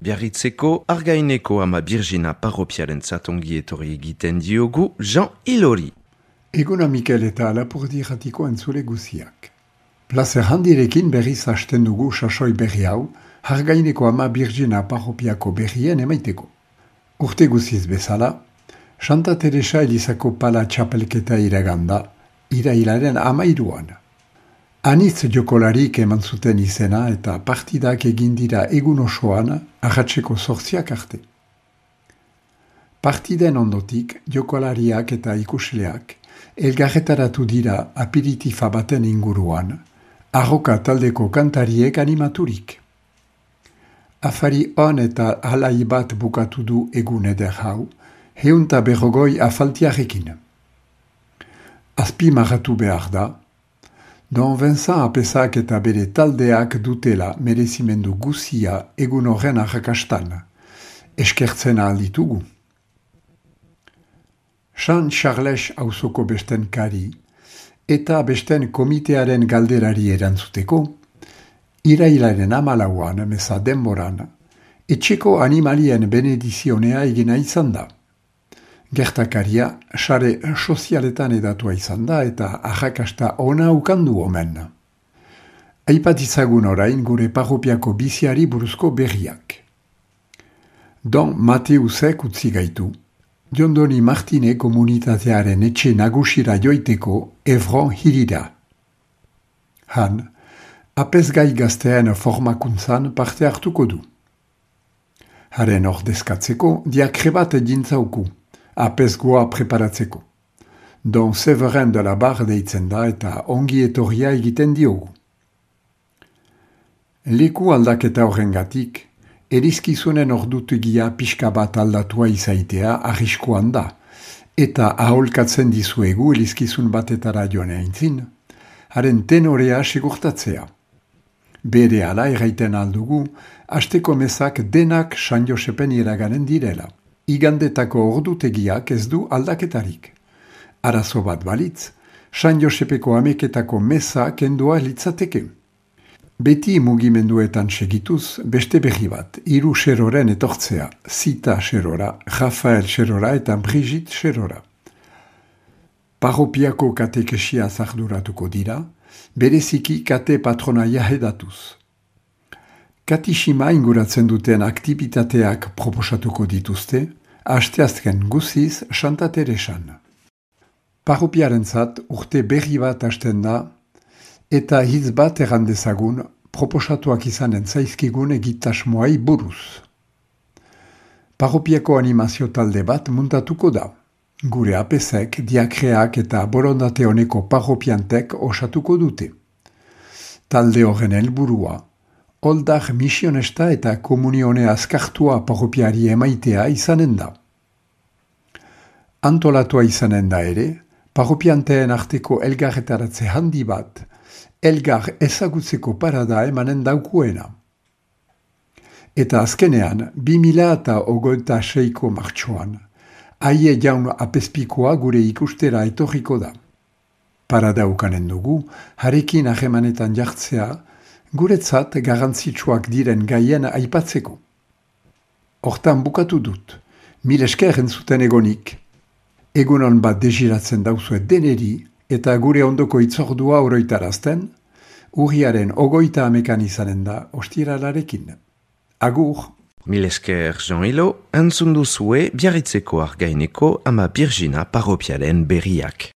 Biarritzeko Argaineko ama Birgina parropiarentzat ongi etorri egiten diogu Jean Ilori. Eguna Mikel eta Lapurdi Ratiko entzule guziak. Plazer handirekin berriz hasten dugu sasoi berri hau, Argaineko ama Birgina parropiako berrien emaiteko. Urte guziz bezala, Santa Teresa Elizako pala txapelketa iraganda, irailaren 13an. Anitz jokolarik eman zuten izena eta partidak egin dira egun osoan arratseko 8 arte. Partiden ondotik jokolariak eta ikusleak elgarretaratu dira aperitifa baten inguruan, arroka taldeko kantariek animaturik. Afari on eta alai bat bukatu du egun eder hau, 150 afaltiarekin. Azpimarratu behar da, Don Vincent Apesak eta bere taldeak dutela merezimendu guzia egun horren arrakastan, eskertzen alditugu. San Charles auzoko besten kari eta besten komitearen galderari erantzuteko, irailaren 14an meza denboran, etxeko animalien benedizionea egina izan da. Gertakaria, sare sozialetan edatua izan da eta arrakasta ona ukandu omen. Aipatizagun orain gure parropiako biziari buruzko berriak. Don Mateusek utzi gaitu, Jondoni Martine komunitatearen etxe nagusira joiteko Evron hirira. Han, apezgai gazteen formakuntzan parte hartuko du. Haren ordezkatzeko diakrebat jintzauku, apezgoa preparatzeko. Don Severin de la Barre deitzen da eta ongi etorria egiten diogu. Leku aldaketa horrengatik, erizkizunen ordutegia pixka bat aldatua izaitea arriskoan da, eta aholkatzen dizuegu erizkizun batetara joan eintzin, haren tenorea segurtatzea. Bere ala erraiten aldugu, asteko mezak denak San Josepen iraganen direla. Igandetako ordutegiak ez du aldaketarik. Arazo bat balitz, San Josepeko ameketako meza kendua litzateke. Beti mugimenduetan segituz, beste berri bat, 3 xeroren etortzea, Zita xerora, Rafael xerora eta Brigitte xerora. Parropiako katekesia zarduratuko dira, bereziki kate patronaia edatuz. Katixima inguratzen duten aktibitateak proposatuko dituzte, asteazken guziz Santa Teresan. Parropiarentzat urte berri bat hasten da, eta hitz bat errandezagun proposatuak izanen zaizkigun egitasmoai buruz. Parropiako animazio talde bat muntatuko da. Gure apesek, diakreak eta borondate honeko parropiantek osatuko dute. Talde horren helburua, Oldar misionesta eta komunione azkartua parropiari emaitea izanen da. Antolatua izanen da ere, parropianteen arteko elgarretaratze handi bat, elgar ezagutzeko parada emanen daukuena. Eta azkenean, 2026ko martxoan, aie jaun apezpikoa gure ikustera etorriko da. Parada ukanen dugu, harekin ahemanetan jartzea, guretzat garantzitsuak diren gaien aipatzeko. Hortan bukatu dut, 1000 esker entzuten egonik. Egunon bat desiratzen dauzuet deneri eta gure ondoko itzordua oroitarazten, urriaren 29 izanen da ostiralarekin. Agur! 1000 esker Jean Ilo, entzun duzue Biarritzeko Argaineko ama Birgina parropiaren berriak.